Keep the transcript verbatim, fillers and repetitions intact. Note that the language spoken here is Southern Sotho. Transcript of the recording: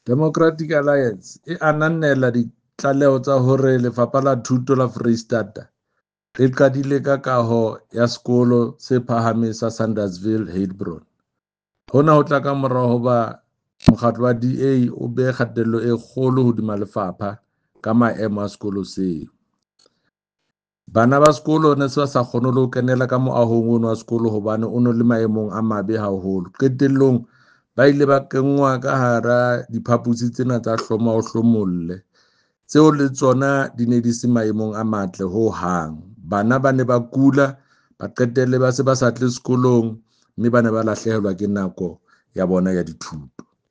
Democratic Alliance e ananela ditlaleho tsa hore Lefapha la Thuto la Foreisetata le qadile ka kaho ya Sekolo se Phahameng sa Sandersville, Heilbron. Hona ho tla kamora hoba mokgatlo wa D A o behe kgatello e kgolo hodima lefapha ka maemo a sekolo seo. Bana ba sekolo ne se ba sa kgone le ho kenela ka moahong ono wa sekolo hobane o no le maemong a mabe haholo. Qetellong ba ile ba kenngwa ka hara diphaposi tsena tsa hloma o hlomolle, tseo le tsona di ne di se maemong a matle ho hang. Bana ba ne ba kula, ba qetelle ba se ba sa tle sekolong, mme ba ne ba lahlehelwa ke nako ya bona ya dithuto.